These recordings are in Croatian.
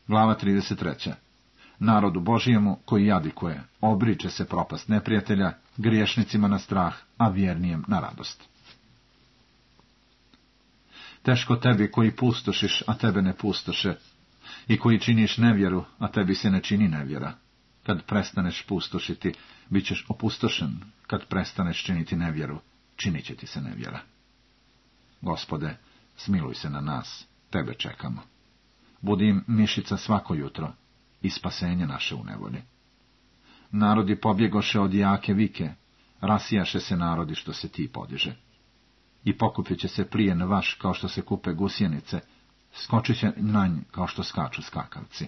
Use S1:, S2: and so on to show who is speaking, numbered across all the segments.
S1: Glava 33. Narodu Božijemu koji jadikuje, obriče se propast neprijatelja, griješnicima na strah, a vjernijem na radost. Teško tebi koji pustošiš, a tebe ne pustoše, i koji činiš nevjeru, a tebi se ne čini nevjera. Kad prestaneš pustošiti, bit ćeš opustošen, kad prestaneš činiti nevjeru, činit će ti se nevjera. Gospode, smiluj se na nas, tebe čekamo. Budi im mišica svako jutro i spasenje naše u nevolji. Narodi pobjegoše od jake vike, rasijaše se narodi što se ti podiže. I pokupit će se plijen vaš kao što se kupe gusjenice, skočit će na nj kao što skaču skakavci.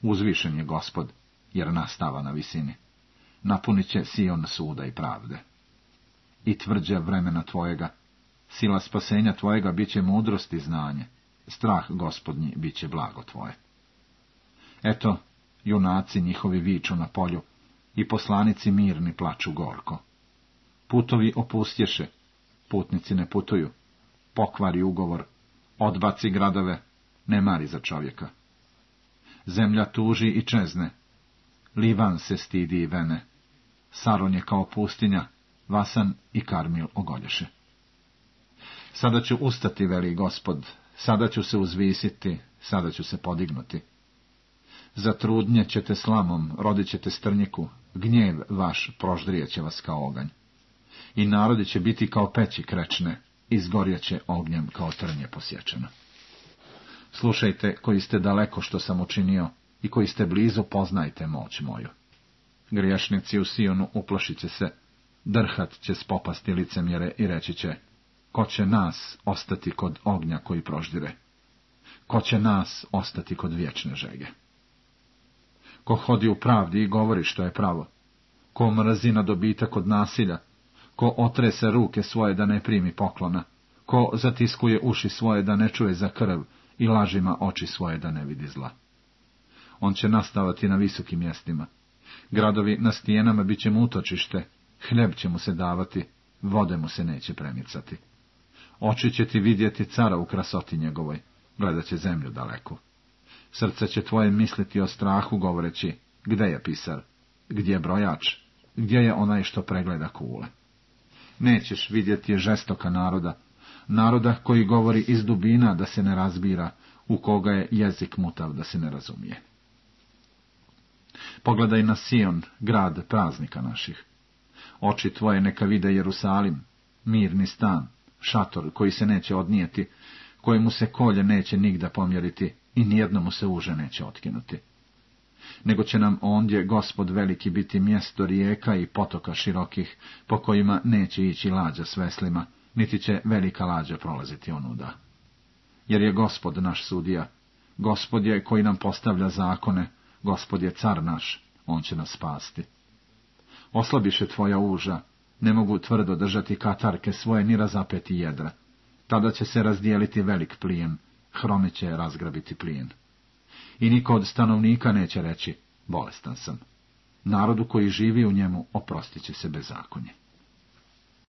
S1: Uzvišen je Gospod, jer nastava na visini. Napunit će Sion suda i pravde. I tvrđa vremena tvojega, sila spasenja tvojega bit će mudrost i znanje, strah Gospodnji bit će blago tvoje. Eto, junaci njihovi viču na polju, i poslanici mirni plaču gorko. Putovi opustješe, putnici ne putuju, pokvari ugovor, odbaci gradove, ne mari za čovjeka. Zemlja tuži i čezne, Livan se stidi i vene, Saron je kao pustinja, Vasan i Karmil ogolješe. Sada ću ustati, veli Gospod, sada ću se uzvisiti, sada ću se podignuti. Zatrudnjet ćete slamom, rodit ćete strnjiku, gnjev vaš proždrijeće vas kao oganj. I narodi će biti kao peći krečne, izgorjeće ognjem kao trnje posječeno. Slušajte, koji ste daleko što sam učinio, i koji ste blizu, poznajte moć moju. Griješnici u Sionu uplašit će se, drhat će spopasti licemjere i reći će, ko će nas ostati kod ognja koji proždire? Ko će nas ostati kod vječne žege? Ko hodi u pravdi i govori što je pravo? Ko mrzi na dobitak od nasilja? Ko otrese ruke svoje da ne primi poklona? Ko zatiskuje uši svoje da ne čuje za krv i lažima oči svoje da ne vidi zla? On će nastavati na visokim mjestima. Gradovi na stijenama bit će mu utočište, hljeb će mu se davati, vode mu se neće premicati. Oči će ti vidjeti cara u krasoti njegovoj, gledat će zemlju daleku. Srce će tvoje misliti o strahu, govoreći, gde je pisar, gdje je brojač, gdje je onaj što pregleda kule. Nećeš vidjeti žestoka naroda, naroda koji govori iz dubina da se ne razbira, u koga je jezik mutav da se ne razumije. Pogledaj na Sion, grad praznika naših. Oči tvoje neka vide Jerusalim, mirni stan, šator koji se neće odnijeti, kojemu se kolje neće nigda pomjeriti i nijednomu se uže neće otkinuti. Nego će nam ondje Gospod veliki biti mjesto rijeka i potoka širokih, po kojima neće ići lađa s veslima, niti će velika lađa prolaziti onuda. Jer je Gospod naš sudija, Gospod je koji nam postavlja zakone, Gospod je car naš, on će nas spasti. Oslabiše tvoja uža, ne mogu tvrdo držati katarke svoje ni razapeti jedra. Tada će se razdijeliti velik plijen, hrome će razgrabiti plijen. I niko od stanovnika neće reći, bolestan sam. Narodu koji živi u njemu oprostit će se bezakonje.